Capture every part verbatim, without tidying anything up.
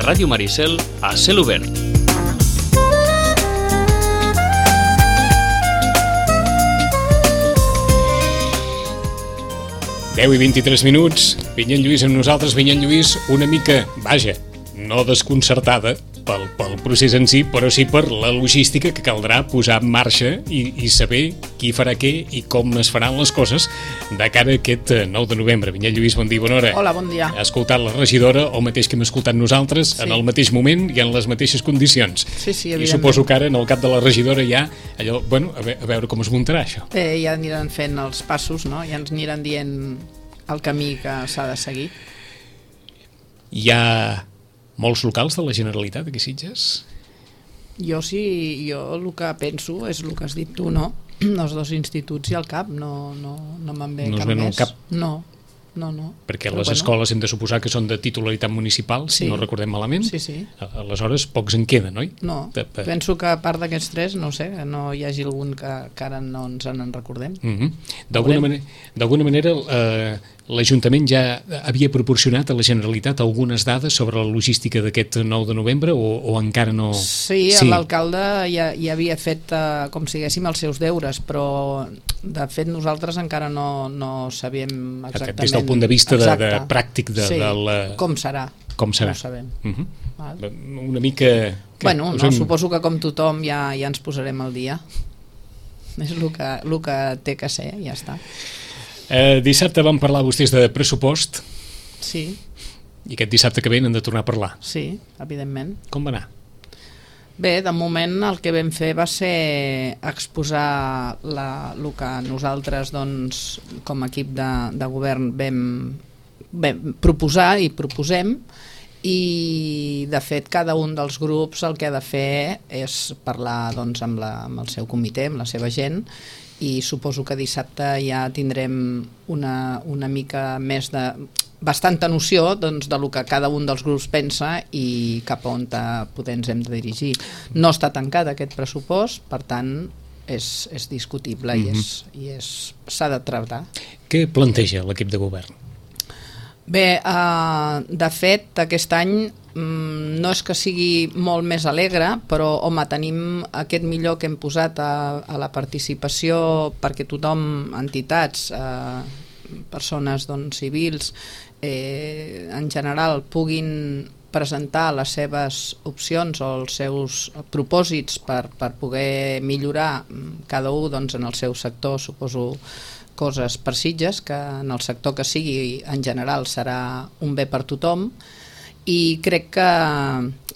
Ràdio Maricel a cel obert. deu i vint-i-tres minuts, Vinyet Lluís amb nosaltres. Vinyet Lluís, una mica, vaja, no desconcertada pel, pel procés en si, però sí per la logística que caldrà posar en marxa i, i saber qui farà què i com es faran les coses de cara a aquest nou de novembre. Vinyet Lluís, bon dia, bona hora. Hola, bon dia. Ha escoltat la regidora, el mateix que hem escoltat nosaltres, sí, en el mateix moment i en les mateixes condicions. Sí, sí, evidentment. I suposo que ara, en el cap de la regidora, ja allò, bueno, a veure, a veure com es muntarà això. Bé, ja aniran fent els passos, no? Ja ens aniran dient el camí que s'ha de seguir. Hi ha molts locals de la Generalitat aquí a Sitges? Jo sí, jo el que penso és el que has dit tu, no? Els dos instituts i el CAP, no, no, no me'n ve no cap més. Cap? No, no, no. Perquè Però les bueno, escoles hem de suposar que són de titularitat municipal, si sí, no recordem malament. Sí, sí. Aleshores, pocs en queden, oi? No, de, de... penso que a part d'aquests tres, no sé, no hi hagi algun que, que ara no ens en recordem. Mm-hmm. D'alguna manera, d'alguna manera eh, l'Ajuntament ja havia proporcionat a la Generalitat algunes dades sobre la logística d'aquest nou de novembre o, o encara no... Sí, sí. L'alcalde ja, ja havia fet eh, com si diguéssim els seus deures, però de fet nosaltres encara no, no sabíem exactament... Des del punt de vista de, de pràctic de, sí, del... com serà. Com serà. No ho sabem. Mm-hmm. Val. Una mica... Que, bueno, no, hem... suposo que com tothom ja, ja ens posarem al dia. És el que, el que té que ser, ja està. Eh, dissabte vam parlar vostès de pressupost. Sí. I aquest dissabte que ve n'han de tornar a parlar. Sí, evidentment. Com va anar? Bé, de moment el que vam fer va ser exposar la, el que nosaltres doncs, com a equip de, de govern vam, vam proposar i proposem, i de fet cada un dels grups el que ha de fer és parlar doncs, amb, la, amb el seu comitè, amb la seva gent, i suposo que dissabte ja tindrem una, una mica més de bastanta noció doncs, de lo que cada un dels grups pensa i cap a on poder ens hem de dirigir. No està tancat aquest pressupost, per tant és, és discutible, mm-hmm, i és, i és, s'ha de tractar. Què planteja l'equip de govern? Bé, eh, de fet aquest any mm, no és que sigui molt més alegre, però home, tenim aquest millor que hem posat a, a la participació perquè tothom, entitats, eh, persones doncs, civils, eh, en general puguin presentar les seves opcions o els seus propòsits per, per poder millorar cada un doncs, en el seu sector, suposo coses per Sitges, que en el sector que sigui en general serà un bé per tothom, i crec que,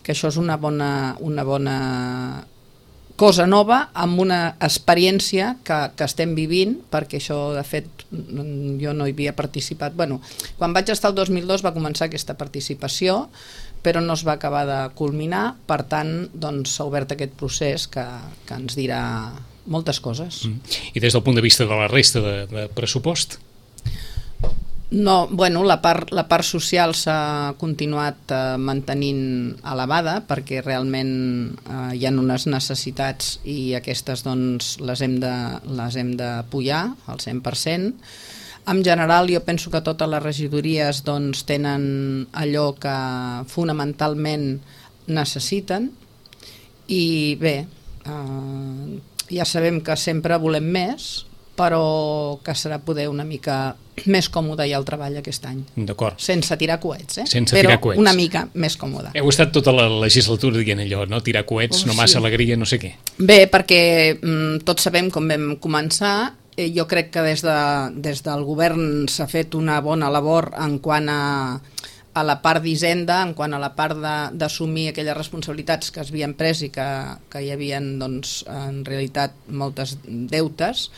que això és una bona, una bona cosa nova amb una experiència que, que estem vivint, perquè això de fet jo no hi havia participat. Bueno, quan vaig estar el dos mil dos va començar aquesta participació, però no es va acabar de culminar, per tant doncs, s'ha obert aquest procés que, que ens dirà moltes coses. Mm. I des del punt de vista de la resta de, de pressupost? No, bueno, la part, la part social s'ha continuat eh, mantenint elevada perquè realment eh, hi ha unes necessitats i aquestes doncs, les hem de, les hem de pujar al cent per cent. En general jo penso que totes les regidories doncs, tenen allò que fonamentalment necessiten i bé, eh, ja sabem que sempre volem més, però que serà poder una mica més còmode ja el treball aquest any. D'acord. Sense tirar coets, eh? Sense però tirar coets. Una mica més còmode. Heu estat tota la legislatura dient allò, no? Tirar coets, oh, no massa sí. Alegria, no sé què. Bé, perquè mm, tots sabem com vam començar. Eh, jo crec que des, de, des del govern s'ha fet una bona labor en quant a a la part d'Hisenda, en quant a la part d'assumir aquelles responsabilitats que es havien pres i que, que hi havia doncs, en realitat moltes deutes.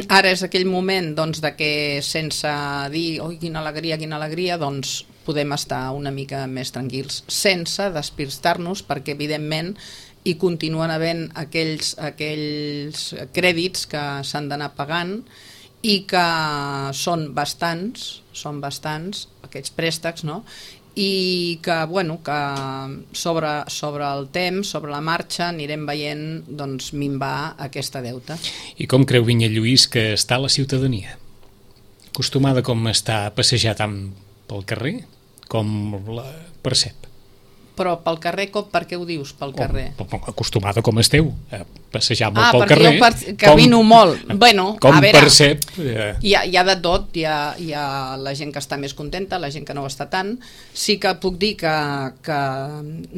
Ara és aquell moment doncs, de que sense dir oi, quina alegria, quina alegria, doncs podem estar una mica més tranquils, sense despistar-nos, perquè evidentment hi continuen havent aquells, aquells crèdits que s'han d'anar pagant i que són bastants, són bastants aquests préstecs, no? I que, bueno, que sobre, sobre el temps, sobre la marxa, anirem veient doncs, minvar aquesta deuta. I com creu Vinyet Lluís que està la ciutadania? Acostumada com està a passejar tant pel carrer, com la percep? Però pel carrer, com, per què ho dius, pel carrer? Oh, acostumada com esteu, a passejar molt ah, pel carrer. Ah, perquè jo camino com, molt. Bueno, com a veure, percep... Eh... Hi, ha, hi ha de tot, hi ha, hi ha la gent que està més contenta, la gent que no ho està tant. Sí que puc dir que, que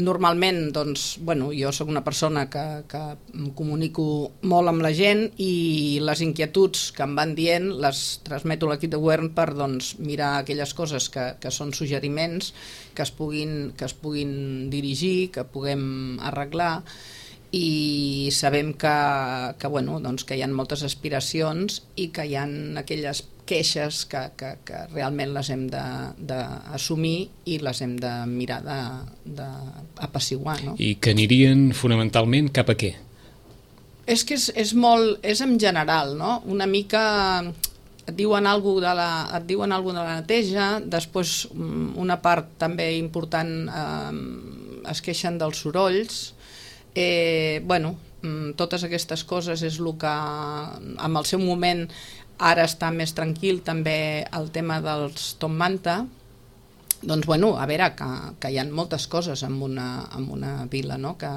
normalment, doncs, bueno, jo sóc una persona que, que em comunico molt amb la gent i les inquietuds que em van dient les transmeto a l'equip de govern per, doncs, mirar aquelles coses que, que són suggeriments que es puguin, que es puguin dirigir, que puguem arreglar, i sabem que, que, bueno, doncs que hi ha moltes aspiracions i que hi ha aquelles queixes que, que, que realment les hem d'assumir i les hem de mirar d'apaciguar. No? I que anirien fonamentalment cap a què? És que és, és molt, és en general, no? Una mica... et diuen alguna de la, et diuen alguna de la neteja, després una part també important eh, es queixen dels sorolls, eh, bueno, totes aquestes coses és el que en el seu moment ara està més tranquil, també el tema dels Tom Manta, doncs bueno, a veure, que, que hi ha moltes coses en una, en una vila, no?, que,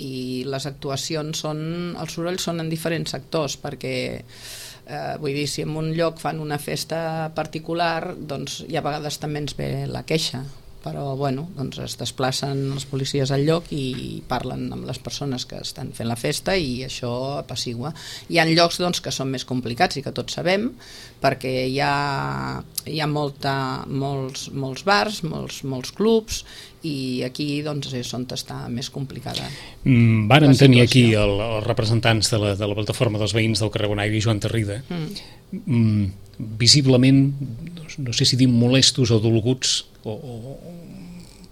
i les actuacions són, els sorolls són en diferents sectors, perquè Eh, vull dir, si en un lloc fan una festa particular, doncs hi ha vegades també ens ve la queixa, però bueno, doncs es desplacen els policies al lloc i parlen amb les persones que estan fent la festa i això apacigua. Hi ha llocs doncs, que són més complicats i que tots sabem, perquè hi ha, hi ha molta, molts, molts bars, molts, molts clubs, i aquí doncs, és on està més complicada. Mm, vàrem tenir aquí el, els representants de la, de la plataforma dels veïns del carrer Bonaire i Joan Tarrida, mm. Mm, visiblement, no sé si dir molestos o dolguts, o, o,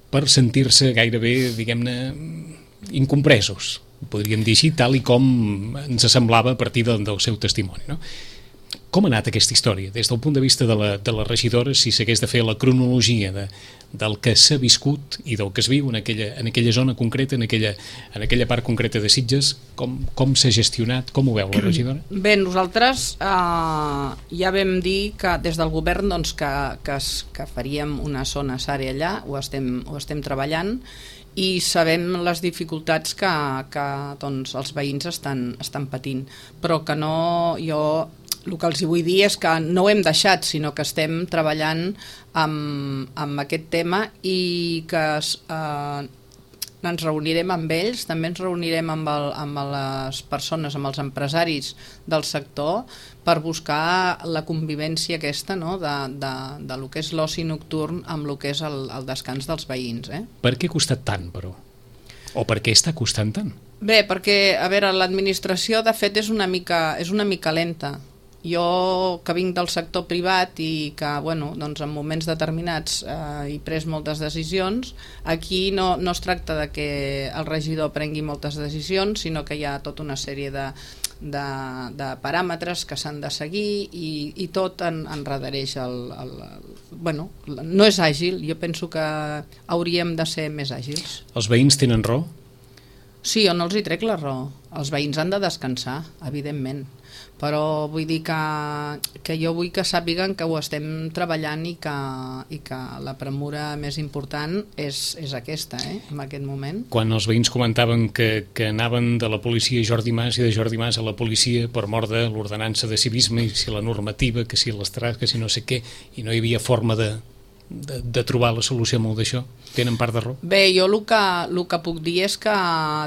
per sentir-se gairebé, diguem-ne, incompresos, podríem dir així, tal i com ens semblava a partir del, del seu testimoni, no? Com ha anat aquesta història? Des del punt de vista de la, de la regidora, si s'hagués de fer la cronologia de, del que s'ha viscut i del que es viu en aquella, en aquella zona concreta, en aquella, en aquella part concreta de Sitges, com, com s'ha gestionat? Com ho veu la regidora? Bé, nosaltres eh, ja vam dir que des del govern doncs, que, que, es, que faríem una zona sària allà, ho estem, ho estem treballant, i sabem les dificultats que, que doncs, els veïns estan, estan patint, però que no... jo el que els vull dir és que no ho hem deixat, sinó que estem treballant amb, amb aquest tema i que eh, ens reunirem amb ells, també ens reunirem amb, el, amb les persones, amb els empresaris del sector per buscar la convivència aquesta, no?, de, de, de lo que és l'oci nocturn amb el que és el, el descans dels veïns. Eh? Per què ha costat tant, però? O per què està costant tant? Bé, perquè, a veure, l'administració de fet és una mica, és una mica lenta. Jo, que vinc del sector privat i que, bueno, doncs en moments determinats eh, he pres moltes decisions, aquí no, no es tracta de que el regidor prengui moltes decisions, sinó que hi ha tota una sèrie de, de, de paràmetres que s'han de seguir i, i tot en, enredareix el, el, el... Bueno, no és àgil, jo penso que hauríem de ser més àgils. Els veïns tenen raó? Sí, jo no els hi trec la raó. Els veïns han de descansar, evidentment. Però vull dir que, que jo vull que sàpiguen que ho estem treballant i que, i que la premura més important és, és aquesta, eh, en aquest moment. Quan els veïns comentaven que, que anaven de la policia a Jordi Mas i de Jordi Mas a la policia per mort de l'ordenança de civisme i si la normativa, que si l'estràs, que si no sé què, i no hi havia forma de, de, de trobar la solució a molt d'això, tenen part de raó? Bé, jo el que, el que puc dir és que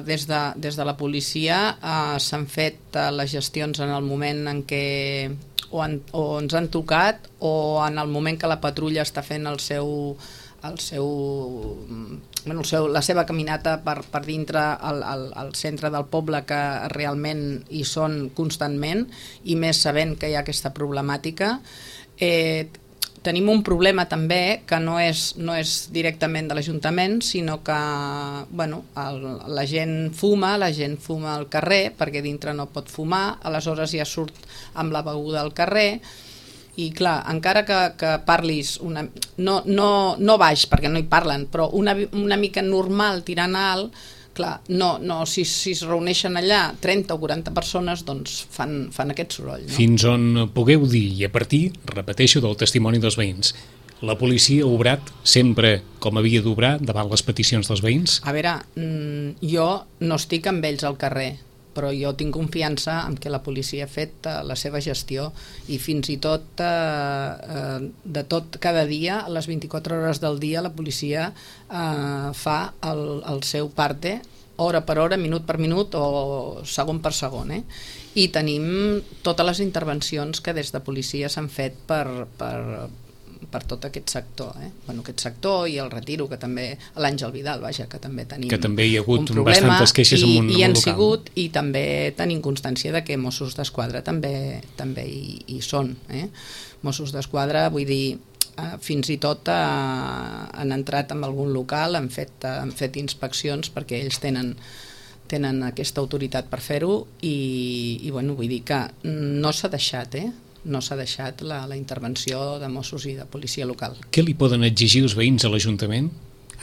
des de, des de la policia eh, s'han fet eh, les gestions en el moment en què o, en, o ens han tocat o en el moment que la patrulla està fent el seu, el seu, bueno, el seu, la seva caminata per, per dintre al, al, al centre del poble, que realment hi són constantment, i més sabent que hi ha aquesta problemàtica. Eh, Tenim un problema també que no és, no és directament de l'Ajuntament, sinó que bueno, el, la gent fuma, la gent fuma al carrer perquè dintre no pot fumar, aleshores ja surt amb la beguda al carrer i clar, encara que, que parlis una, no, no, no baix perquè no hi parlen, però una, una mica normal tirant alt, clar, no, no, si, si es reuneixen allà trenta o quaranta persones, doncs fan, fan aquest soroll. No? Fins on pugueu dir, i a partir, repeteixo, del testimoni dels veïns, la policia ha obrat sempre com havia d'obrar davant les peticions dels veïns? A veure, jo no estic amb ells al carrer, però jo tinc confiança en que la policia ha fet uh, la seva gestió i fins i tot uh, uh, de tot cada dia, a les vint-i-quatre hores del dia, la policia uh, fa el, el seu parte, hora per hora, minut per minut o segon per segon, eh? I tenim totes les intervencions que des de policia s'han fet per, per, per tot aquest sector, eh? Bueno, aquest sector i el Retiro, que també l'Àngel Vidal, vaja, que també tenim que també hi ha hagut un problema, bastantes queixes i, en un, i en han un local. sigut, i també tenim constància de que Mossos d'Esquadra també, també hi, hi són, eh? Mossos d'Esquadra, vull dir, eh, fins i tot eh, han entrat en algun local, han fet, eh, han fet inspeccions perquè ells tenen tenen aquesta autoritat per fer-ho i, i bueno, vull dir que no s'ha deixat, eh? No s'ha deixat la, la intervenció de Mossos i de policia local. Què li poden exigir els veïns a l'Ajuntament?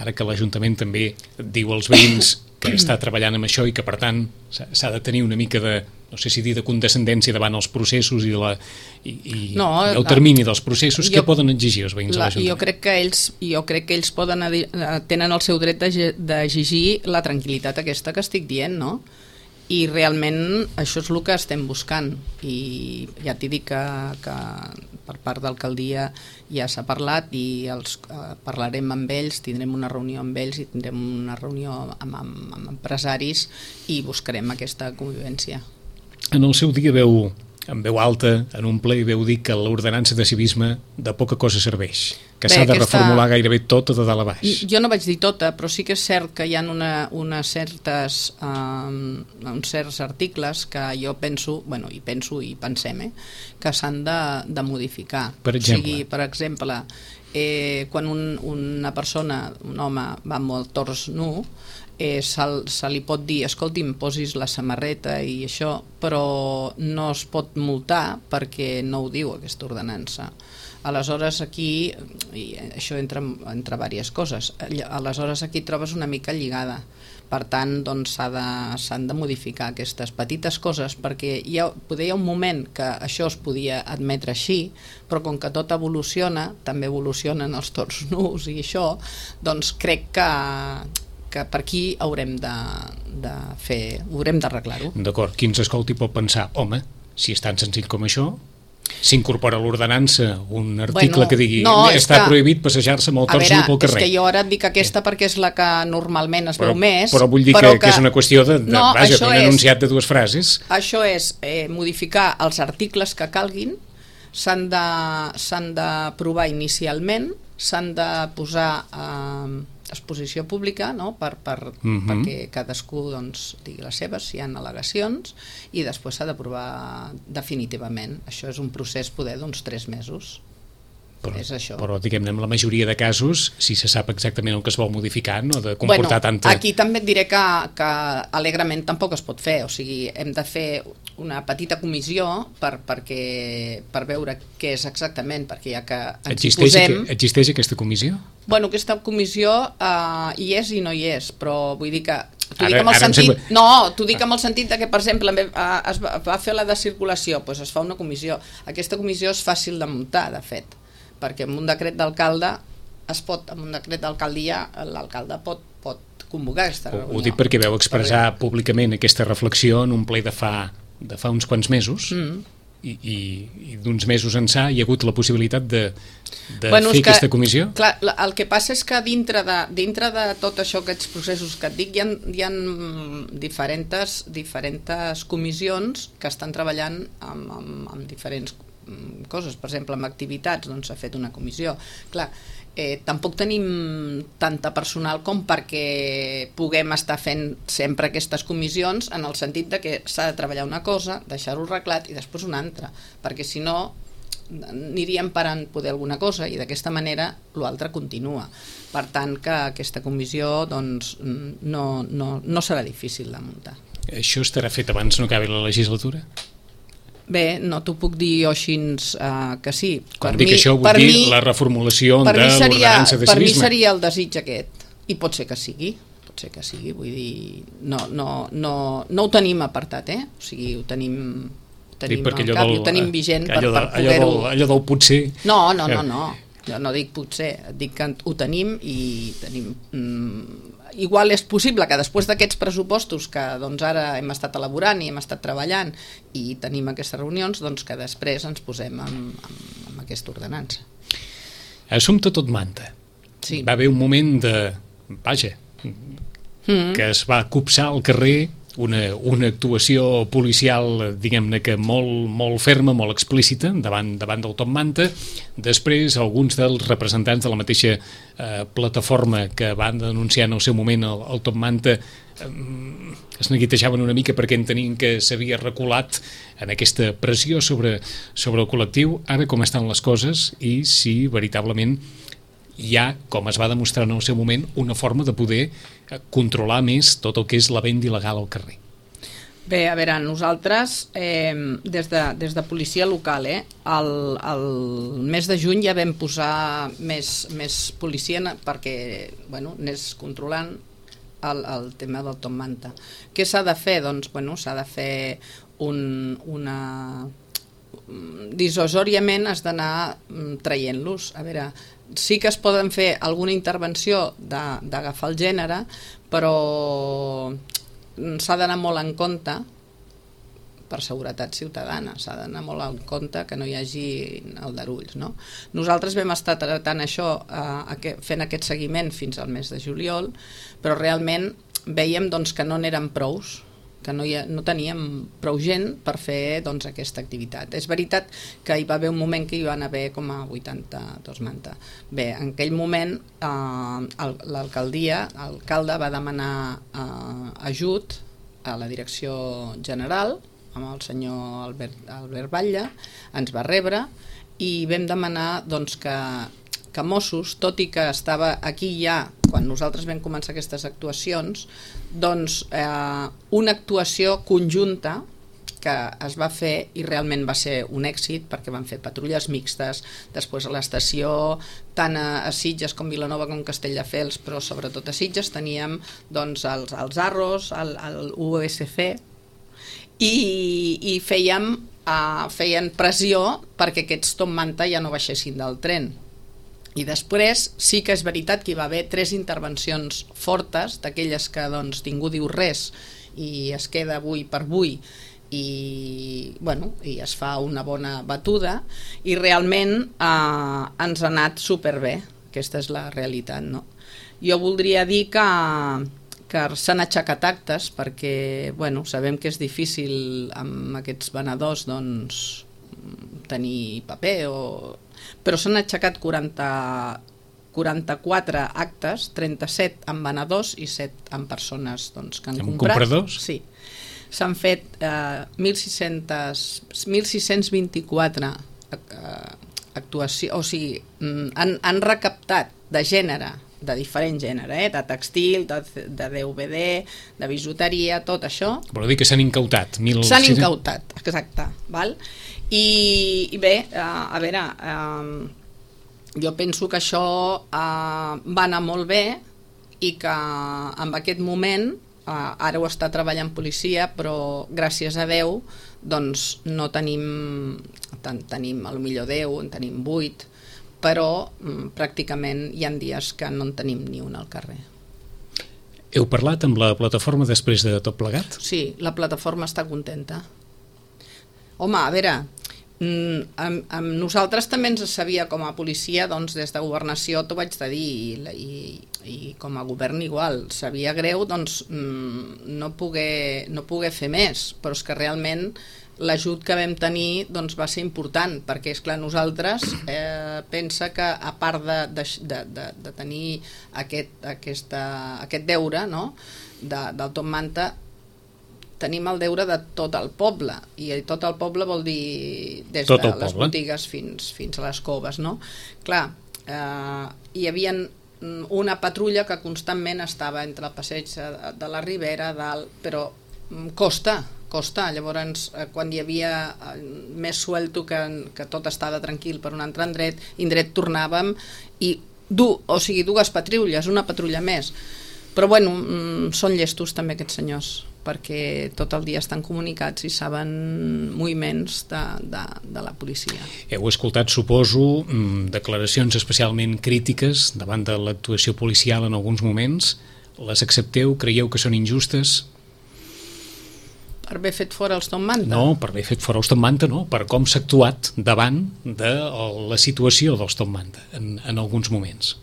Ara que l'Ajuntament també diu als veïns que està treballant amb això i que per tant s'ha de tenir una mica de, no sé si dir, de condescendència davant els processos i, la, i, i no, el termini dels processos, jo, què poden exigir els veïns la, a l'Ajuntament? Jo crec que ells, jo crec que ells poden tenen el seu dret d'exigir la tranquil·litat aquesta que estic dient, no? I realment això és el que estem buscant i ja t'hi dic que, que per part d'alcaldia ja s'ha parlat i els, eh, parlarem amb ells, tindrem una reunió amb ells i tindrem una reunió amb, amb, amb empresaris i buscarem aquesta convivència. En el seu dia veu, en veu alta, en un ple, veu dir que l'ordenança de civisme de poca cosa serveix, que s'ha de aquesta... reformular gairebé tota de dalt a baix. Jo no vaig dir tota, però sí que és cert que hi ha una, una certes, um, uns certs articles que jo penso, bueno, i penso i pensem, eh, que s'han de, de modificar. Per exemple? O sigui, per exemple, eh, quan un, una persona, un home, va amb el tors nu, Eh, se, se li pot dir, escolti'm, posis la samarreta i això, però no es pot multar perquè no ho diu aquesta ordenança. Aleshores aquí, i això entre, entre diverses coses, aleshores aquí trobes una mica lligada. Per tant, doncs s'ha de, s'han de modificar aquestes petites coses perquè hi ha, poder hi ha un moment que això es podia admetre així, però com que tot evoluciona, també evolucionen els torns nus i això, doncs crec que que per aquí haurem de, de fer, haurem d'arreglar-ho. D'acord, qui ens escolti pot pensar, home, si és tan senzill com això, s'incorpora a l'ordenança un article bueno, que digui no, està que, prohibit passejar-se amb el tors nu pel carrer. És que jo ara et dic aquesta perquè és la que normalment es però, veu més. Però vull dir però que, que, que és una qüestió de, de no, vaja, d'un enunciat de dues frases. Això és eh, modificar els articles que calguin, s'han de, s'han d'aprovar inicialment, s'han de posar eh, exposició pública, no? per, per, uh-huh. perquè cadascú doncs, digui les seves, si hi ha al·legacions, i després s'ha d'aprovar definitivament. Això és un procés poder d'uns tres mesos. Però, és això. Però diguem-ne, en la majoria de casos, si se sap exactament el que es vol modificar, no de comportar bueno, tanta... Aquí també et diré que, que alegrement tampoc es pot fer, o sigui, hem de fer una petita comissió per, perquè, per veure què és exactament, perquè ja que ens existeix, hi posem... Existeix aquesta comissió? Bueno, aquesta comissió uh, hi és i no hi és, però vull dir que... T'ho ara, dic amb el sentit... sembla... No, t'ho dic amb el sentit de que, per exemple, uh, es va, va fer la de circulació, doncs es fa una comissió. Aquesta comissió és fàcil de muntar, de fet, perquè amb un decret d'alcalde es pot, amb un decret d'alcaldia l'alcalde pot, pot convocar aquesta reunió. Ho dic perquè veu expressar perquè... públicament aquesta reflexió en un ple de fa, de fa uns quants mesos mm. i, i, i d'uns mesos ençà hi ha hagut la possibilitat de, de bueno, fer que, aquesta comissió? Clar, el que passa és que dintre de, dintre de tot això, aquests processos que et dic, hi ha, hi ha diferents, diferents comissions que estan treballant amb, amb, amb diferents coses, per exemple, amb activitats doncs s'ha fet una comissió. Clar, eh, tampoc tenim tanta personal com perquè puguem estar fent sempre aquestes comissions en el sentit de que s'ha de treballar una cosa, deixar-ho arreglat i després una altra, perquè si no aniríem parant poder alguna cosa i d'aquesta manera l'altre continua. Per tant, que aquesta comissió doncs, no, no, no serà difícil de muntar. Això estarà fet abans no acabi la legislatura? Bé, no t'ho puc dir jo així uh, que sí. Quan per dic mi, això vull dir mi, la reformulació de l'ordenança de civisme. Per mi seria el desig aquest, i pot ser que sigui, pot ser que sigui, vull dir, no, no, no, no ho tenim apartat, eh? O sigui, ho tenim, tenim al cap, del, ho tenim vigent per, per poder-ho... Allò del, allò del potser... No, no, no, no. Jo no dic potser, dic que ho tenim i tenim... Mm, igual és possible que després d'aquests pressupostos que doncs, ara hem estat elaborant i hem estat treballant i tenim aquestes reunions, doncs que després ens posem amb, amb, amb aquesta ordenança. Assumpte tot manta. Sí. Va haver un moment de... Vaja, mm. que es va copsar al carrer una, una actuació policial, diguem-ne que molt, molt ferma, molt explícita, davant, davant del Top Manta. Després, alguns dels representants de la mateixa eh, plataforma que van denunciar en el seu moment el, el Top Manta eh, es neguitejaven una mica perquè entenien que s'havia reculat en aquesta pressió sobre, sobre el col·lectiu. Ara com estan les coses i si veritablement hi ha, com es va demostrar en el seu moment, una forma de poder controlar més tot el que és la venda il·legal al carrer. Bé, a veure, nosaltres, eh, des, de, des de policia local, eh, el, el mes de juny ja vam posar més, més policia perquè bueno, anés controlant el, el tema del Top Manta. Què s'ha de fer? Doncs bueno, s'ha de fer un, una... dissuasòriament has d'anar traient-los. A veure, sí que es poden fer alguna intervenció d'agafar el gènere, però s'ha d'anar molt en compte per seguretat ciutadana, s'ha d'anar molt en compte que no hi hagi aldarulls, no? Nosaltres vam estar tratant això, eh, fent aquest seguiment fins al mes de juliol, però realment veiem doncs, que no n'eren prous, que no, hi ha, no teníem prou gent per fer doncs, aquesta activitat. És veritat que hi va haver un moment que hi van haver com a vuitanta-dos manta. Bé, en aquell moment eh, l'alcaldia, l'alcalde va demanar eh, ajut a la direcció general amb el senyor Albert, Albert Batlle, ens va rebre i vam demanar doncs, que que Mossos, tot i que estava aquí ja quan nosaltres vam començar aquestes actuacions, doncs eh, una actuació conjunta que es va fer i realment va ser un èxit perquè van fer patrulles mixtes, després a l'estació, tant a, a Sitges com Vilanova com Castelldefels, però sobretot a Sitges teníem doncs, els, els Arros, el, el U S C i, i fèiem, eh, feien pressió perquè aquests Top Manta ja no baixessin del tren. I després sí que és veritat que hi va haver tres intervencions fortes, d'aquelles que doncs, ningú diu res i es queda avui per avui i, bueno, i es fa una bona batuda i realment eh, ens ha anat superbé, aquesta és la realitat, no? Jo voldria dir que, que s'han aixecat actes perquè bueno, sabem que és difícil amb aquests venedors doncs, tenir paper o... però s'han aixecat quaranta, quaranta-quatre actes, trenta-set amb venedors i set amb persones doncs, que han amb comprat. Compradors? Sí. S'han fet eh, mil sis-cents vint-i-quatre eh, actuacions, o sigui, han, han recaptat de gènere, de diferent gènere, eh? De textil, de, de D V D, de bisuteria, tot això. Vol dir que s'han incautat? Mil... S'han incautat, exacte. Val? I, i bé, eh, a veure, eh, jo penso que això eh, va anar molt bé i que en aquest moment, eh, ara ho està treballant policia, però gràcies a Déu doncs no tenim, ten, tenim a lo millor deu, en tenim vuit, però mm, pràcticament hi ha dies que no en tenim ni un al carrer. Heu parlat amb la plataforma després de tot plegat? Sí, la plataforma està contenta. Home, a veure, amb, amb nosaltres també ens sabia com a policia, doncs des de governació t'ho vaig de dir, i, i, i com a govern igual, sabia greu doncs no poder, no poder fer més, però és que realment l'ajut que vam tenir doncs, va ser important, perquè és clar, nosaltres eh, pensa que a part de, de, de, de tenir aquest, aquesta, aquest deure, no? de, del Top Manta, tenim el deure de tot el poble, i tot el poble vol dir des tot de les poble. Botigues fins, fins a les coves, no? Clar, eh, hi havia una patrulla que constantment estava entre el passeig de, de la Ribera, dalt, però costa, costa, llavors quan hi havia més suelto que, que tot estava tranquil per un altre indret, indret tornàvem i du, o sigui, dues patrulles, una patrulla més. Però bueno, són llestos també aquests senyors, perquè tot el dia estan comunicats i saben moviments de, de, de la policia. Heu escoltat, suposo, declaracions especialment crítiques davant de l'actuació policial en alguns moments. Les accepteu? Creieu que són injustes? Per haver fet fora els Tom Manta? No, per haver fet fora els Tom Manta no, per com s'ha actuat davant de la situació dels Tom Manta en, en alguns moments.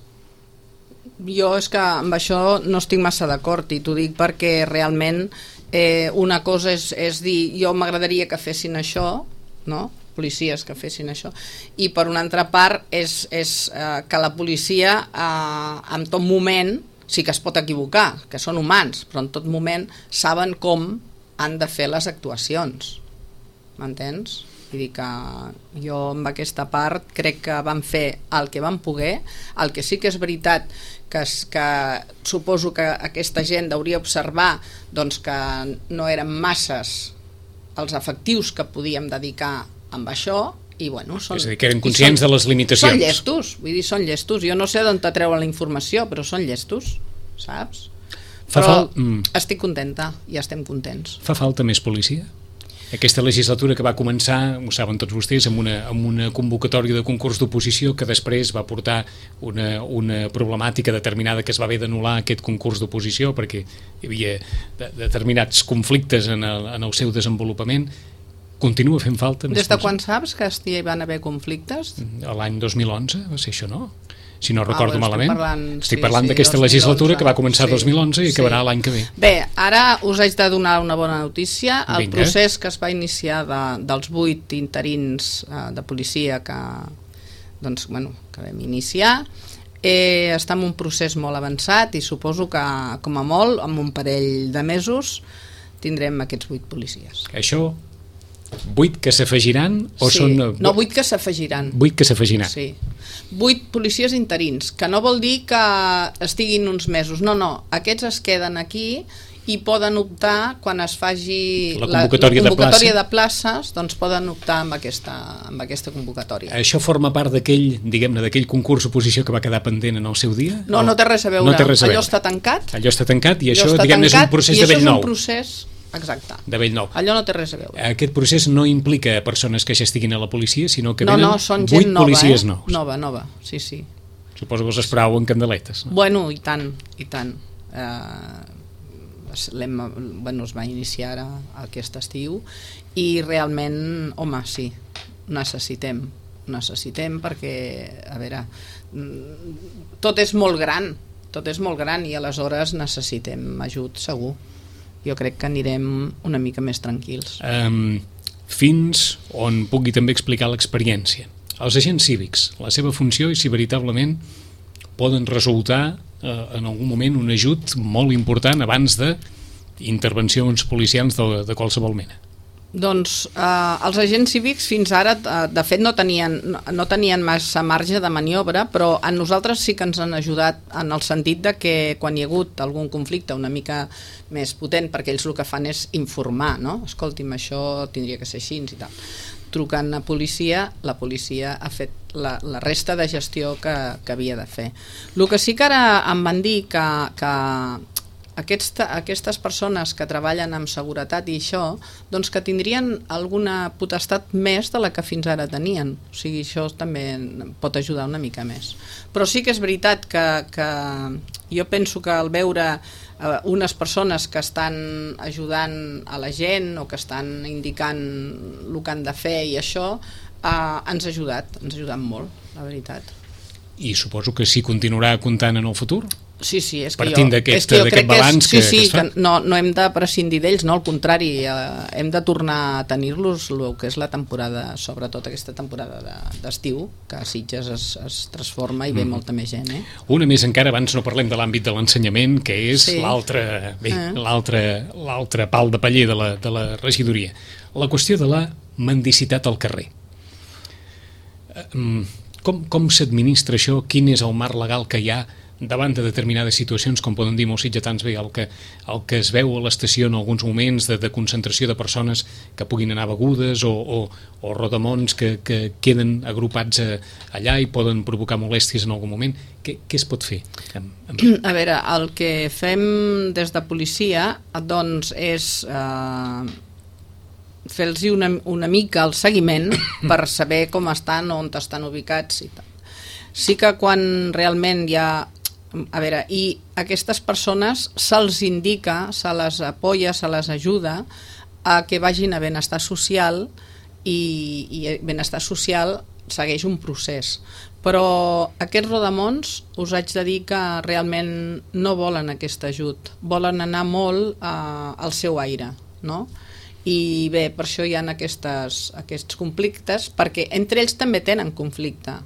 Jo és que amb això no estic massa d'acord, i t'ho dic perquè realment eh, una cosa és, és dir jo m'agradaria que fessin això, no? Policies que fessin això, i per una altra part és, és eh, que la policia eh, en tot moment sí que es pot equivocar, que són humans, però en tot moment saben com han de fer les actuacions, m'entens? Vull dir que jo amb aquesta part crec que van fer el que van poder. El que sí que és veritat que, es, que suposo que aquesta gent hauria observar doncs, que no eren masses els efectius que podíem dedicar amb això, i bueno, són, és a dir, que eren conscients són, de les limitacions. Són llestos, vull dir, són llestos. Jo no sé d'on te treuen la informació, però són llestos, saps? Fa però fal... mm. estic contenta i estem contents. Fa falta més policia? Aquesta legislatura que va començar, ho saben tots vostès, amb una, amb una convocatòria de concurs d'oposició que després va portar una, una problemàtica determinada que es va haver d'anul·lar aquest concurs d'oposició perquè hi havia de, determinats conflictes en el, en el seu desenvolupament. Continua fent falta? Des de quan saps que hi van haver conflictes? L'any dos mil onze va ser això, no? Si no ah, recordo bueno, malament. Estic parlant, estic sí, parlant sí, d'aquesta legislatura que va començar el sí, dos mil onze i sí. acabarà l'any que ve. Bé, ara us haig de donar una bona notícia. El Vinga. procés que es va iniciar de, dels vuit interins eh, de policia que, doncs, bueno, que vam iniciar eh, està en un procés molt avançat i suposo que, com a molt, en un parell de mesos tindrem aquests vuit policies. Això... Vuit que s'afegiran o sí, són... no, vuit que s'afegiran. Vuit que s'afegiran. Sí. Vuit policies interins, que no vol dir que estiguin uns mesos. No, no, aquests es queden aquí i poden optar, quan es faci la convocatòria, la, la convocatòria de, de, places, doncs poden optar amb aquesta, amb aquesta convocatòria. Això forma part d'aquell, diguem-ne, d'aquell concurs oposició que va quedar pendent en el seu dia? No, no té res a veure. No té res a veure. Allò està tancat. Allò està tancat i això, diguem-ne, és un procés de vell nou. I això és un procés... Exacte. De vell nou. Allò no té res a veure. Aquest procés no implica persones que ja estiguin a la policia, sinó que no, venen no, són vuit gent nova, policies eh? nous. Nova, nova, sí, sí. Suposo que els esperàveu en candeletes. No? Bueno, i tant, i tant. Eh, bueno, es va iniciar ara aquest estiu i realment, home, sí, necessitem, necessitem perquè, a veure, tot és molt gran, tot és molt gran i aleshores necessitem ajut, segur. Jo crec que anirem una mica més tranquils. Um, fins on pugui també explicar l'experiència. Els agents cívics, la seva funció i si veritablement poden resultar uh, en algun moment un ajut molt important abans de intervencions policials de, de qualsevol mena. Doncs eh, els agents cívics fins ara, eh, de fet, no tenien, no, no tenien massa marge de maniobra, però a nosaltres sí que ens han ajudat en el sentit de que quan hi ha hagut algun conflicte una mica més potent, perquè ells el que fan és informar, no? Escolti'm, això tindria que ser així i tal. Trucant a policia, la policia ha fet la, la resta de gestió que, que havia de fer. El que sí que ara em van dir que... que Aquesta, aquestes persones que treballen amb seguretat i això, doncs que tindrien alguna potestat més de la que fins ara tenien. O sigui, això també pot ajudar una mica més. Però sí que és veritat que, que jo penso que al veure eh, unes persones que estan ajudant a la gent o que estan indicant el que han de fer i això, eh, ens ha ajudat, ens ha ajudat molt, la veritat. I suposo que sí continuarà comptant en el futur? Sí, sí, és que partint jo, d'aquest, és que jo crec balanç que, és, que, sí, sí, que es fa? Que no, no hem de prescindir d'ells, no, al contrari, eh, hem de tornar a tenir-los el que és la temporada, sobretot aquesta temporada d'estiu, de, que a Sitges es, es transforma i ve mm. molta més gent. Eh? Una més encara, abans no parlem de l'àmbit de l'ensenyament, que és sí. l'altre eh. l'altre pal de paller de la, de la regidoria. La qüestió de la mendicitat al carrer. Com, com s'administra això? Quin és el marc legal que hi ha davant de determinades situacions, com poden dir molts sitgetans, bé, el que, el que es veu a l'estació en alguns moments de, de concentració de persones que puguin anar begudes o, o, o rodamons que, que queden agrupats a, allà i poden provocar molèsties en algun moment, què, què es pot fer? A veure, el que fem des de policia doncs és eh, fer-los una, una mica el seguiment per saber com estan, on estan ubicats i tal. Sí que quan realment hi ha... A veure, i aquestes persones se'ls indica, se les apoya, se les ajuda a que vagin a benestar social i, i benestar social segueix un procés. Però aquests rodamons us haig de dir que realment no volen aquest ajut, volen anar molt uh, al seu aire, no? I bé, per això hi ha aquestes, aquests conflictes, perquè entre ells també tenen conflicte,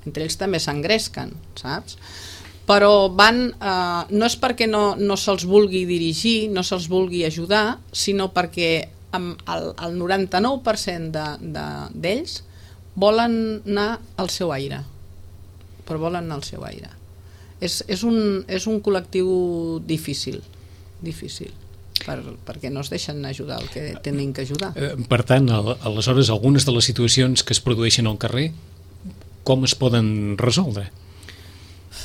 entre ells també s'engresquen, saps? Però van, eh, no és perquè no, no se'ls vulgui dirigir, no se'ls vulgui ajudar, sinó perquè amb el, el noranta-nou per cent d'ells de, de, volen anar al seu aire, però volen anar al seu aire. És, és, un, és un col·lectiu difícil, difícil, per, perquè no es deixen ajudar el que tenen que ajudar. Eh, per tant, aleshores, algunes de les situacions que es produeixen al carrer, com es poden resoldre?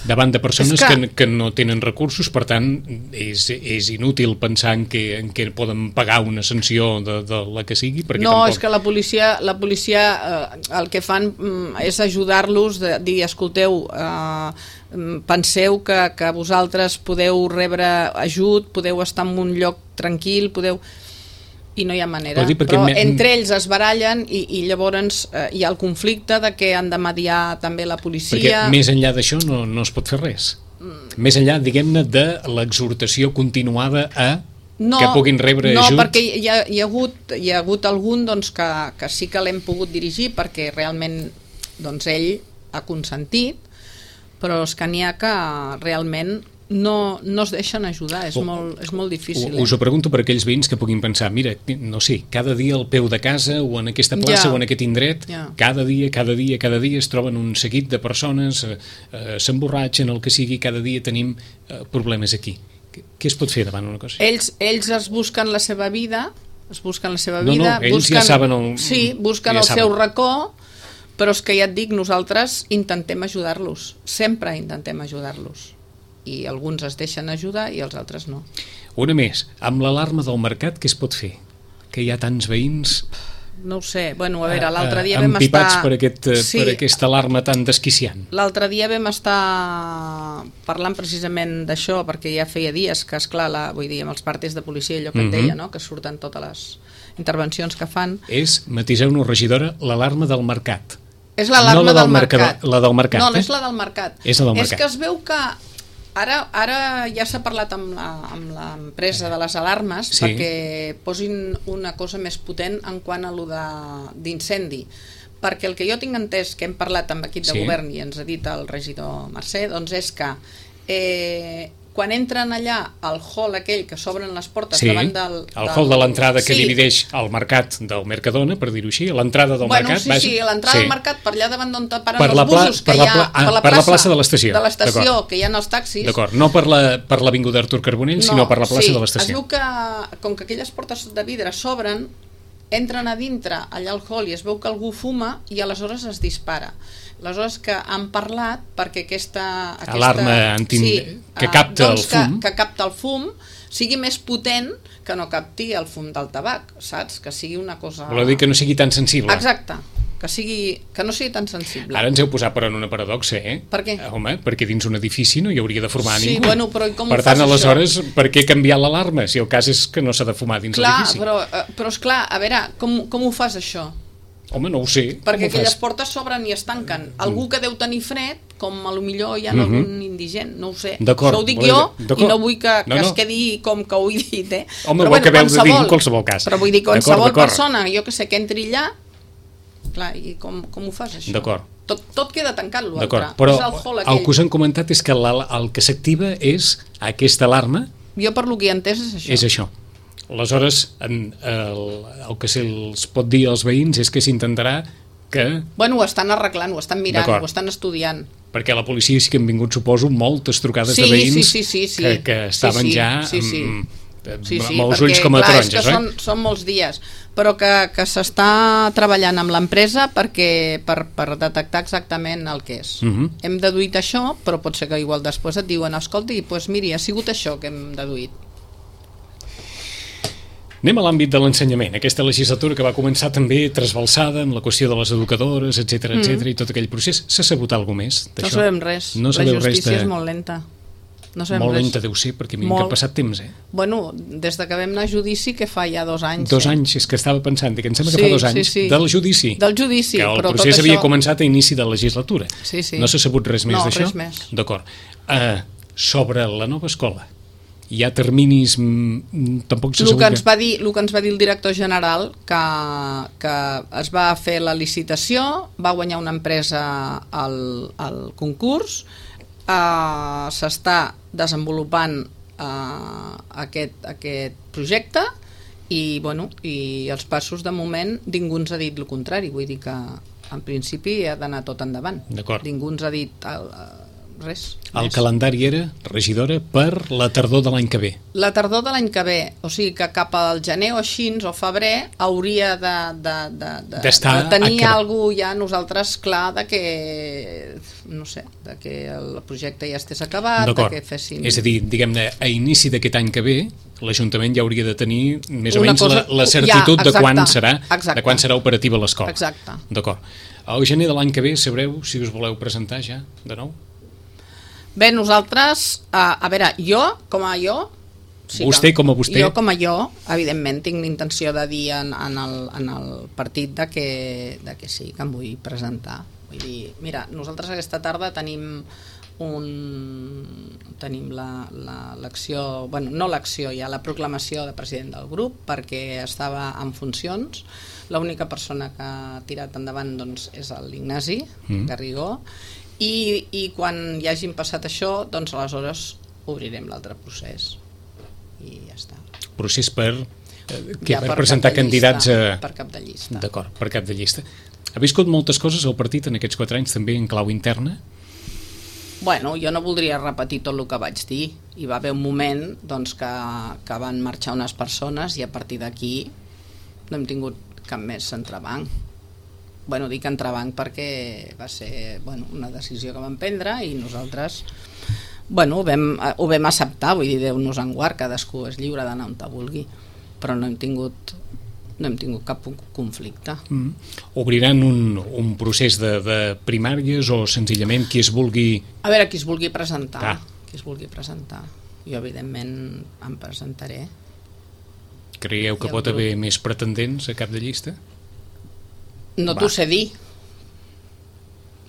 Davant de persones que... Que, que no tenen recursos, per tant, és, és inútil pensar en que, en que poden pagar una sanció de, de la que sigui, perquè no, tampoc... és que la policia, la policia eh, el que fan mm, és ajudar-los, de dir, escolteu, eh, penseu que, que vosaltres podeu rebre ajut, podeu estar en un lloc tranquil, podeu... i no hi ha manera, però, però me... entre ells es barallen i, i llavors eh, hi ha el conflicte de que han de mediar també la policia. Perquè més enllà d'això no, no es pot fer res. Mm. Més enllà, diguem-ne, de l'exhortació continuada a no, que puguin rebre no, ajut. No, perquè hi ha, hi ha, hagut, hi ha hagut algun doncs, que, que sí que l'hem pogut dirigir perquè realment doncs, ell ha consentit, però és que n'hi ha que realment no, no es deixen ajudar, és, o, molt, és molt difícil. Us ho pregunto per aquells veïns que puguin pensar, mira, no sé, cada dia al peu de casa o en aquesta plaça ja. o en aquest indret, ja. cada dia, cada dia, cada dia es troben un seguit de persones, eh, eh, s'emborratxen, el que sigui, cada dia tenim eh, problemes aquí. Què es pot fer davant una cosa? Ells, ells es busquen la seva vida, es busquen la seva no, vida, no, ells busquen, ja saben el, sí, busquen ja el saben. seu racó, però és que ja et dic, nosaltres intentem ajudar-los, sempre intentem ajudar-los. I alguns es deixen ajudar i els altres no. Una més, amb l'alarma del mercat què es pot fer? Que hi ha tants veïns... No ho sé, bueno, a veure, l'altre dia vam estar... Empipats per, aquest, sí, per aquesta alarma tan desquiciant. L'altre dia vam estar parlant precisament d'això, perquè ja feia dies que, esclar, la, vull dir, amb els partes de policia, allò que et deia, no? Que surten totes les intervencions que fan... És, matiseu-nos, regidora, l'alarma del mercat. És l'alarma no del mercat. La del mercat, no, no eh? és la del mercat. És la del mercat. És que es veu que Ara, ara ja s'ha parlat amb l'empresa de les alarmes sí. perquè posin una cosa més potent en quant a lo d'incendi. Perquè el que jo tinc entès, que hem parlat amb l'equip de sí. govern i ens ha dit el regidor Mercè, doncs és que eh, quan entren allà al hall aquell que s'obren les portes sí, davant del... el del... hall de l'entrada que sí. divideix el mercat del Mercadona, per dir-ho així, l'entrada del bueno, mercat... Sí, vaja, sí, l'entrada sí. del mercat, per allà davant d'on paren per els busos, per que la, hi ha ah, per la, per plaça, la plaça de l'estació, de l'estació que hi ha els taxis... D'acord, no per l'avinguda Artur Carbonell, no, sinó per la plaça sí, de l'estació. Es veu que, com que aquelles portes de vidre s'obren, entren a dintre, allà al hall, i es veu que algú fuma i aleshores es dispara. Aleshores que han parlat perquè aquesta... aquesta alarma antin... sí, que capta doncs el fum. Que, que capta el fum sigui més potent que no capti el fum del tabac, saps? Que sigui una cosa... Voleu dir que no sigui tan sensible. Exacte, que, sigui, que no sigui tan sensible. Ara ens heu posat però en una paradoxa, eh? Per què? Home, perquè dins un edifici no hi hauria de fumar sí, ningú. Bueno, però com per tant, aleshores, això? Per què canviar l'alarma? Si el cas és que no s'ha de fumar dins l'edifici. Clar, però, però esclar, a veure, com, com ho fas això? Home, no ho sé. Perquè aquelles portes s'obren i es tanquen. Algú que deu tenir fred, com a lo millor hi ha algun uh -huh. indigent, no ho sé. Això ho dic jo i no vull que, que no, no. es quedi com que ho he dit, eh? Home, però bueno, que veu de dir en qualsevol cas. Però vull dir, qualsevol persona, jo que sé, que entri allà, clar, i com, com ho fas això? D'acord. Tot, tot queda tancat l'altre. D'acord, però el, el que us han comentat és que la, el que s'activa és aquesta alarma. Jo per lo que he entès és això. És això. Aleshores, en, el, el que se'ls pot dir als veïns és que s'intentarà que... Bueno, ho estan arreglant, ho estan mirant, ho estan estudiant. Perquè a la policia sí que han vingut, suposo, moltes trucades sí, de veïns sí, sí, sí, sí. Que, que estaven sí, sí, ja sí, sí. amb, sí, sí, amb els perquè, ulls com a clar, taronges. És que són, són molts dies, però que, que s'està treballant amb l'empresa perquè per, per detectar exactament el que és. Uh-huh. Hem deduït això, però pot ser que igual després et diuen escolti, doncs miri, ha sigut això que hem deduït. Anem a l'àmbit de l'ensenyament, aquesta legislatura que va començar també trasbalsada amb la qüestió de les educadores, etcètera, mm. etcètera, i tot aquell procés. S'ha sabut alguna cosa més d'això? No sabem res, no la justícia res de... és molt lenta. No molt res. lenta deu ser, perquè mica ha passat temps, eh? Bueno, des de que vam anar a judici, que fa ja dos anys. Dos eh? anys, és que estava pensant, que em sembla sí, que fa dos anys, sí, sí. del judici. Del judici, que el però procés tot havia això... començat a inici de legislatura. Sí, sí. No s'ha sabut res més no, d'això? No, res més. D'acord. Uh, sobre la nova escola, hi ha terminis, mm, tampoc s'ha sabut... El que, ens va dir, el que ens va dir el director general, que, que es va fer la licitació, va guanyar una empresa al, al concurs, eh, s'està desenvolupant eh, aquest, aquest projecte i, bueno, i els passos de moment ningú ens ha dit el contrari, vull dir que en principi ha d'anar tot endavant. Ningú ens ha dit... El, res. El calendari era, regidora, per la tardor de l'any que ve. La tardor de l'any que ve, o sigui que cap al gener o així, o febrer, hauria de, de, de, de, de tenir alguna cosa ja nosaltres clar de que, no sé, de que el projecte ja estés acabat, de que fessin... És a dir, diguem-ne, a inici d'aquest any que ve, l'Ajuntament ja hauria de tenir més o menys cosa... la, la certitud ja, de, quan serà, de quan serà operativa l'escola. Exacte. D'acord. Al gener de l'any que ve sabreu si us voleu presentar ja, de nou? Bé, nosaltres, a, a veure, jo, com a jo... Sí, vostè com a vostè? Jo com a jo, evidentment, tinc l'intenció de dir en, en, el, en el partit de que, de que sí, que em vull presentar. Vull dir, mira, nosaltres aquesta tarda tenim un... tenim l'acció... Bueno, no l'acció, ja la proclamació de president del grup, perquè estava en funcions. L'única persona que ha tirat endavant doncs, és l'Ignasi mm. Garrigó, I, i quan hi hagin passat això, doncs aleshores obrirem l'altre procés i ja està. Procés per, eh, que ja, per, per presentar candidats a... per cap de llista. D'acord, per cap de llista. Ha viscut moltes coses al partit en aquests quatre anys, també en clau interna? Bueno, jo no voldria repetir tot el que vaig dir. Hi va haver un moment doncs, que, que van marxar unes persones i a partir d'aquí no hem tingut cap més entrebanc. Bueno, dic entrebanc perquè va ser bueno, una decisió que vam prendre i nosaltres bueno, ho, vam, ho vam acceptar, vull dir, Déu nos en guard, cadascú és lliure d'anar on te vulgui, però no hem tingut, no hem tingut cap conflicte. Mm. Obriran un, un procés de, de primàries o senzillament qui es vulgui... A veure, qui es vulgui presentar, ah. qui es vulgui presentar. Jo, evidentment, em presentaré. Creieu que pot grup... haver més pretendents a cap de llista? No t'ho sé dir.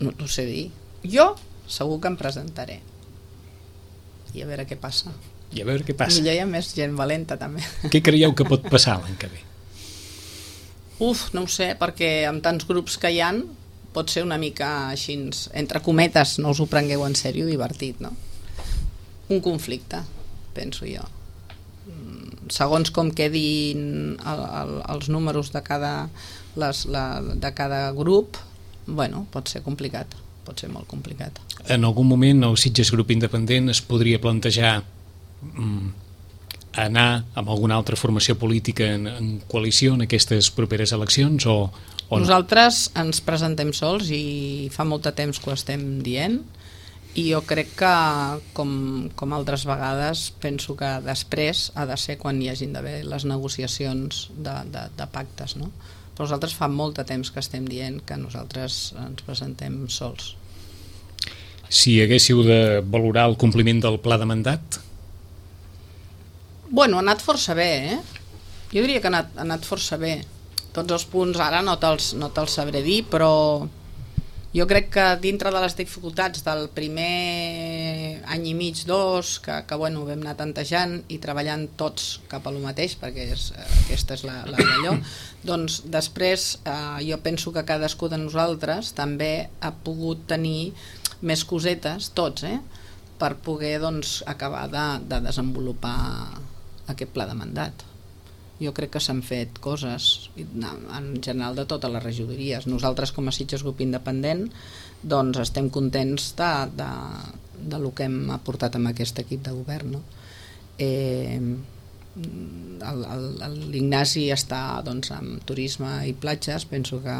No t'ho sé dir. Jo segur que em presentaré. I a veure què passa. I a veure què passa. Millor hi ha més gent valenta, també. Què creieu que pot passar l'any que ve? Uf, no ho sé, perquè amb tants grups que hi ha pot ser una mica així, entre cometes, no us ho prengueu en sèrio, divertit, no? Un conflicte, penso jo. Segons com quedin el, el, els números de cada... Les, la, de cada grup, bueno, pot ser complicat, pot ser molt complicat. En algun moment el Sitges Grup Independent es podria plantejar mm, anar amb alguna altra formació política en, en coalició en aquestes properes eleccions o, o nosaltres no? Ens presentem sols i fa molt de temps que ho estem dient i jo crec que com, com altres vegades penso que després ha de ser quan hi hagin d'haver les negociacions de, de, de pactes, no? Però nosaltres fa molt de temps que estem dient que nosaltres ens presentem sols. Si haguéssiu de valorar el compliment del pla de mandat? Bueno, ha anat força bé, eh? Jo diria que ha anat, ha anat força bé. Tots els punts ara no te'ls no te'ls sabré dir, però jo crec que dintre de les dificultats del primer any i mig, dos, que, que bueno, vam anar tantejant i treballant tots cap a lo mateix, perquè és, aquesta és la, la d'allò, doncs després eh, jo penso que cadascú de nosaltres també ha pogut tenir més cosetes, tots, eh, per poder doncs, acabar de, de desenvolupar aquest pla de mandat. jo crec que s'han fet coses en general de totes les regidories. Nosaltres com a Sitges Grup Independent doncs estem contents de, de, de lo que hem aportat amb aquest equip de govern, no? Eh, l'Ignasi està doncs, amb turisme i platges, penso que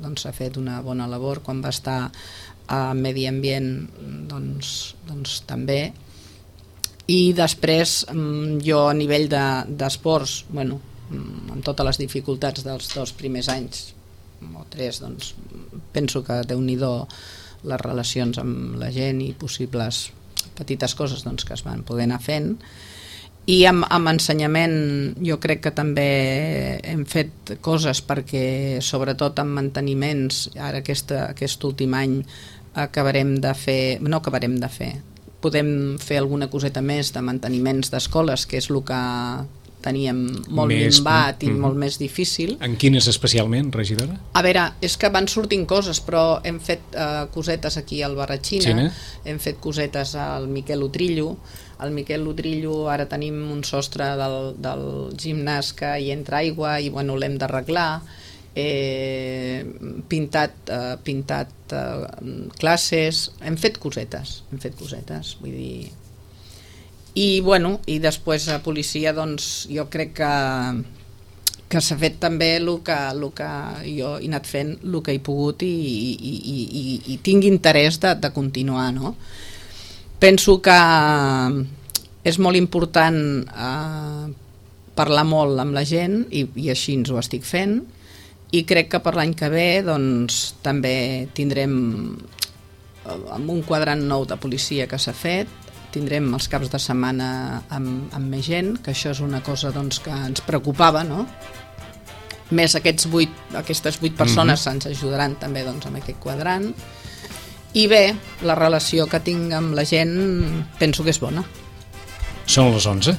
doncs, s'ha fet una bona labor. Quan va estar a Medi Ambient doncs, doncs també. I després jo a nivell d'esports, de, bueno, amb totes les dificultats dels dos primers anys o tres, doncs penso que Déu-n'hi-do les relacions amb la gent i possibles petites coses doncs, que es van poder anar fent. I amb, amb ensenyament jo crec que també hem fet coses perquè sobretot amb manteniments, ara aquesta, aquest últim any acabarem de fer, no acabarem de fer, podem fer alguna coseta més de manteniments d'escoles, que és el que teníem molt més, minvat i mm, molt més difícil. En quines especialment, regidora? A veure, és que van sortint coses, però hem fet uh, cosetes aquí al Barratxina, Xina. Hem fet cosetes al Miquel Utrillo. Al Miquel Utrillo ara tenim un sostre del, del gimnàs que hi entra aigua i bueno, l'hem d'arreglar. Eh, pintat, eh, pintat eh, classes, hem fet cosetes, hem fet cosetes, vull dir... I, bueno, i després a policia doncs jo crec que que s'ha fet també el que, el que jo he anat fent el que he pogut i, i, i, i, i tinc interès de, de continuar, no? Penso que és molt important eh, parlar molt amb la gent i, i així ens ho estic fent, i crec que per l'any que ve doncs també tindrem amb un quadrant nou de policia que s'ha fet, tindrem els caps de setmana amb, amb més gent, que això és una cosa doncs, que ens preocupava, no? Més aquests vuit, aquestes vuit persones mm-hmm. ens ajudaran també doncs, amb aquest quadrant. I bé, la relació que tinc amb la gent penso que és bona. Són les onze.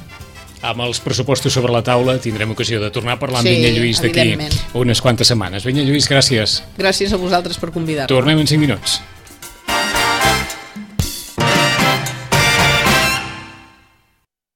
Amb els pressupostos sobre la taula tindrem ocasió de tornar a parlar amb sí, Vinyet Lluís d'aquí unes quantes setmanes. Vinyet Lluís, gràcies. Gràcies a vosaltres per convidar-me. Tornem en cinc minuts.